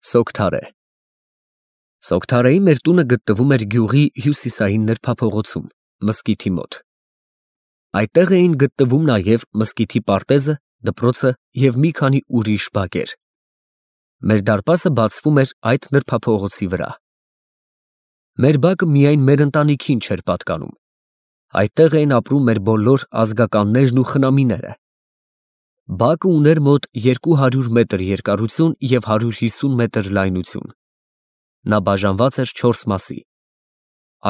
Սոկթարե Սոկթարեի մեր տունը գտնվում էր գյուղի հյուսիսային նրբափողոցում, մզկիթի մոտ։ Այդտեղ էին գտնվում նաև մզկիթի պարտեզը, դպրոցը և մի քանի ուրիշ բակեր։ Մեր դարպասը բացվում էր այդ նրբափողոցի վրա։ Մեր բակը միայն մեր ընտանիքին չէր պատկանում։ Այդտեղ էին ապրում մեր բոլոր ազգականներն ու խնամիները։ Բակը ուներ մոտ 200 մետր երկարություն և 150 մետր լայնություն։ Նա բաժանված էր 4 մասի։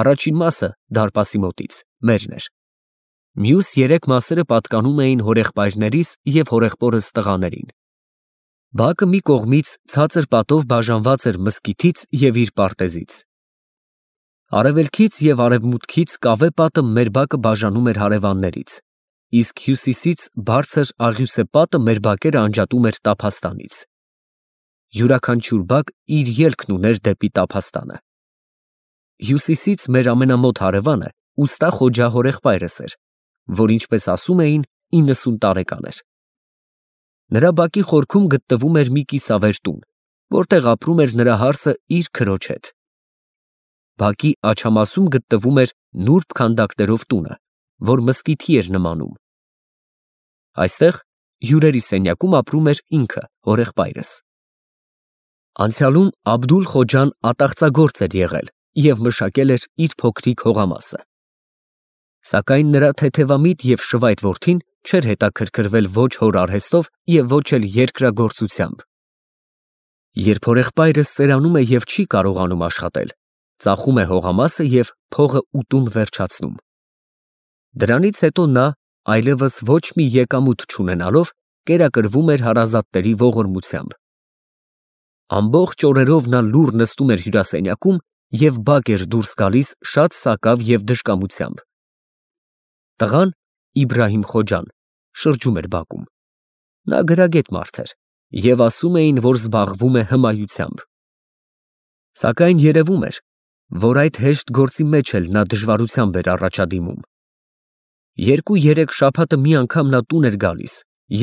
Առաջին մասը դարպասի մոտից մերն էր։ Մյուս 3 մասերը պատկանում էին հորեղբայրներիս և հորեղբորս տղաներին։ Բակը մի կողմից ցածր պատով բաժանված էր մզկիթից և իր պարտեզից։ Արևելքից և արևմուտքից կավե պատը մեր բակը բաժանում էր հարևաններից, իսկ հյուսիսից բարձր աղյուսե պատը մեր բակերը անջատում էր տափաստանից։ Յուրաքանչյուր բակ իր ելքն ուներ դեպի տափաստանը։ Հյուսիսից մեր ամենամոտ հարևանը ուստա Խոջա հորեղբայրս էր, որ ինչպես ասում էին 90 տարեկան էր։ Նրա բակի խորքում գտնվում էր մի կիսավեր տուն, որտեղ ապրում էր նրա հարսը իր քրոջ հետ։ Բակի աջամասում գտնվում էր նուրբ քանդակներով տունը, որ մզկիթի էր նմանում։ Այստեղ հյուրերի սենյակում ապրում էր ինքը, հորեղբայրս։ Անցյալում Աբդուլ֊Խոջան ատաղծագործ էր եղել և մշակել էր իր փոքրիկ հողամասը։ Սակայն նրա թեթևամիտ և շվայտ որդին չէր հետաքրքրվել ոչ հոր արհեստով և ոչ էլ երկրագործությամբ։ Երբ հորեղբայրս ծերանում է և չի կարողանում աշխատել, ծախում է հողամասը և փողը ուտում վերջացնում։ Դրանից հետո նա, այլևս ոչ մի եկամուտ չունենալով, կերակրվում էր հարազատների ողորմությամբ։ Ամբողջ օրերով նա լուռ նստում էր հյուրասենյակում և բակ էր դուրս գալիս շատ սակավ և դժկամությամբ։ Տղան՝ Իբրահիմ Խոջան, շրջում էր բակում։ Նա գրագետ մարդ էր, և ասում էին, որ զբաղվում է հմայությամբ։ Սակայն երևում էր, որ այդ հեշտ գործի մեջ էլ նա դժվարությամբ էր առաջադիմում։ 2-3 շաբաթը մի անգամ նա տուն էր գալիս,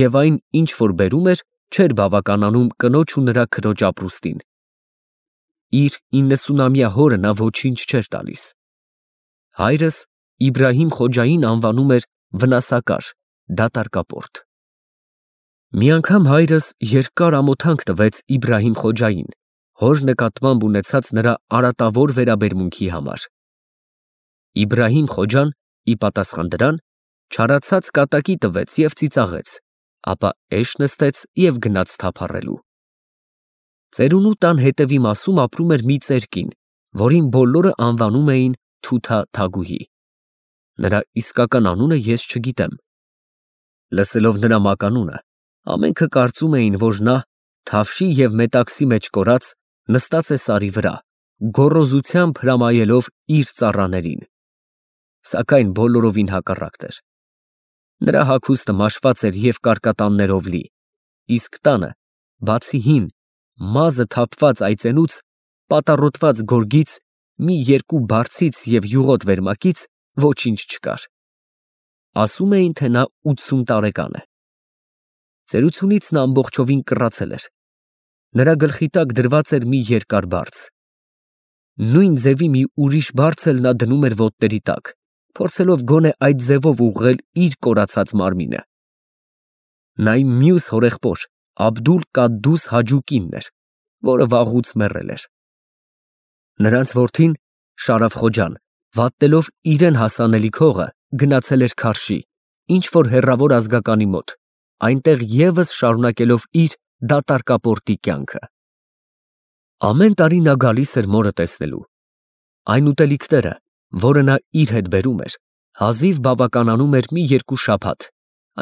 և այն, ինչ որ բերում էր, չէր բավականանում կնոջ ու նրա քրոջ ապրուստին։ Իր 90-ամյա հորը նա ոչինչ չէր տալիս։ Հայրս Իբրահիմ Խոջային անվանում էր վնասակար, դատարկապորտ։ Մի անգամ հայրս երկար ամոթանք տվեց Իբրահիմ Խոջային, հոր նկատմամբ ունեցած նրա արատավոր վերաբերմունքի համար։ Իբրահիմ Խոջան, ի պատասխան դրան, չարացած կատակի տվեց և ծիծաղեց, ապա էշ նստեց և գնաց թափառելու։ Ծերունու տան հետևի մասում ապրում էր մի ծեր կին, որին բոլորը անվանում էին Թութա֊Թագուհի։ Նրա իսկական անունը ես չգիտեմ։ Լսելով նրա մականունը, ամենքը կարծում էին, որ նա, թավշի և մետաքսի մեջ կորած, նստած է սարի վրա, գոռոզությամբ հրամայելով իր ծառաներին։ Սակայն բոլորովին հակառակն էր։ Նրա հագուստը մաշված էր և կարկատաններով լի, իսկ տանը, բացի հին, մազը թափված այծենուց, պատառոտված գորգից, մի երկու բարձից և յուղոտ վերմակից ոչինչ չկար։ Ասում էին, թե նա 80 տարեկան է։ Ծերությունից նա ամբողջովին կռացել էր։ Նրա գլխի տակ դրված էր մի երկար բարձ։ Նույն ձևի մի ուրիշ բարձ էլ նա դնում էր ոտների տակ, փորձելով գոնե այդ ձևով ուղղել իր կորացած մարմինը։ Նա իմ մյուս հորեղբոր Աբդուլ֊Կադդուս Հաջու կինն էր, որը վաղուց մեռել էր։ Նրանց որդին՝ Շարաֆ Խոջան, վատնելով իրան հասանելիք հողը, գնացել էր Քարշի, ինչ֊որ հեռավոր ազգականի մոտ, այնտեղ ևս շարունակելով իր դատարկապորտի կյանքը։ Ամեն տարի նա գալիս էր մորը տեսնելու։ Այն ուտելիքները, որը նա իր հետ բերում էր, հազիվ բավականանում էր մի երկու շաբաթ,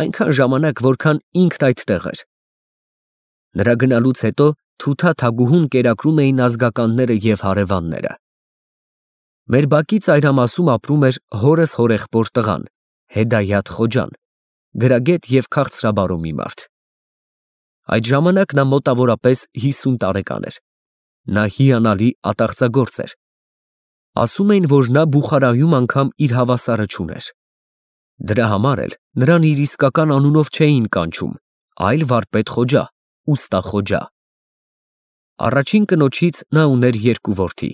այնքան ժամանակ, որքան ինքն այդտեղ էր։ Նրա գնալուց հետո Թութա֊Թագուհուն կերակրում էին ազգականները և հարևանները։ Մեր բակի ծայրամասում ապրում էր հորս հորեղբոր տղան՝ Հեդայաթ Խոջան, գրագետ և քաղցրաբարո մի մարդ։ Այդ ժամանակ նա մոտավորապես 50 տարեկան էր։ Նա հիանալի ատաղծագործ էր։ Ասում էին, որ նա Բուխարայում անգամ իր հավասարը չուներ։ Դրա համար էլ նրան իր իսկական անունով չէին կանչում, այլ վարպետ Խոջա, ուստա Խոջա։ Առաջին կնոջից նա ուներ երկու որդի.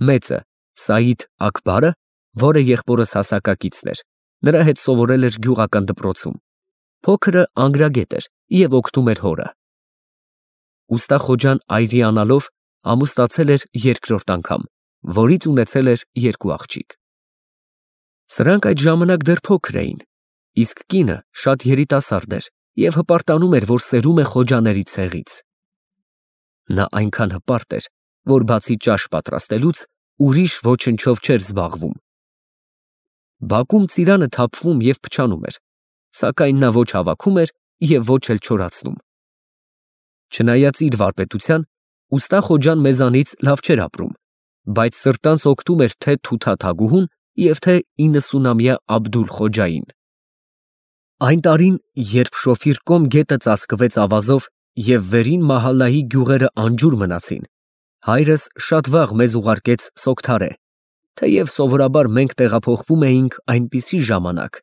մեծը Սայիդ Աքբարը, որը եղբորս հասակակիցն էր, նրա հետ սովորել էր գյուղական դպրոցում, փոքրը անգրագետ էր և օգնում էր հորը։ Ուստա Խոջան այրիանալով ամուսնացել էր երկրորդ անգամ, որից ունեցել էր երկու աղջիկ։ Սրանք այդ ժամանակ դեռ փոքր էին, իսկ կինը շատ երիտասարդ էր և հպարտանում էր, որ սերում է Խոջաների ցեղից։ Նա այնքան հպարտ էր, որ բացի ճաշ պատրաստելուց ուրիշ ոչնչով չէր զբաղվում։ Բակում ծիրանը թափվում և փչանում էր, սակայն նա ոչ հավաքում էր և ոչ էլ չորացնում։ Չնայած իր վարպետության, ուստա Խոջան մեզանից լավ չէր ապրում, բայց սրտանց օգտում էր թե Թութա Թագուհուն և թե 90-ամյա Աբդուլ Խոջային։ Այն տարին, երբ Շոֆիր Կոմ գետը ծածկվեց ավազով և վերին Մահալլայի գյուղերը անջուր մնացին, հայրս շատ վաղ մեզ ուղարկեց Սոգթարե, թեև սովորաբար մենք տեղափոխվում էինք այնպիսի ժամանակ,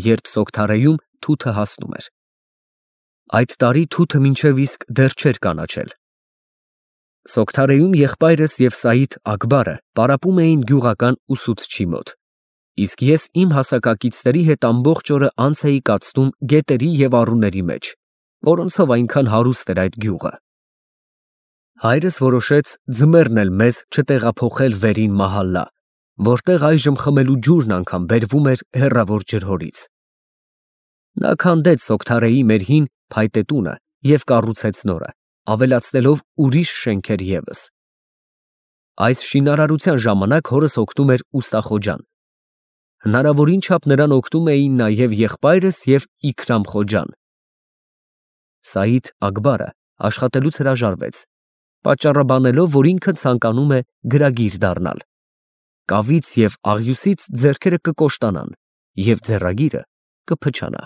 երբ Սոգթարեում թութը հասնում էր։ Այդ տարի թութը մինչև իսկ դեռ չէր կանաչել։ Սոգթարեում եղբայրս և Սայիդ Աքբարը պարապում էին գյուղական ուսուցչի մոտ, իսկ ես իմ հասակակիցների հետ ամբողջ օրը անց էի կացնում գետերի և առուների մեջ, որոնցով այնքան հարուստ էր այդ գյուղը։ Հայրս որոշեց ձմեռն էլ մեզ չտեղափոխել վերին Մահալլա, որտեղ այժմ խմելու ջուրն անգամ բերվում էր հեռավոր ջրհորից։ Նա քանդեց Սոգթարեի մեր հին փայտե տունը և կառուցեց նորը, ավելացնելով ուրիշ շենքեր ևս։ Այս շինարարության ժամանակ հորս օգնում էր ուստա Խոջան։ Հնարավորին չափ նրան օգնում էին նաև եղբայրս և Իքրամ Խոջան։ Սայիդ Աքբարը աշխատելուց հրաժարվեց, պատճառաբանելով, որ ինքը ցանկանում է գրագիր դառնալ։ Կավից և աղյուսից ձեռքերը կկոշտանան, և ձեռագիրը կփչանա։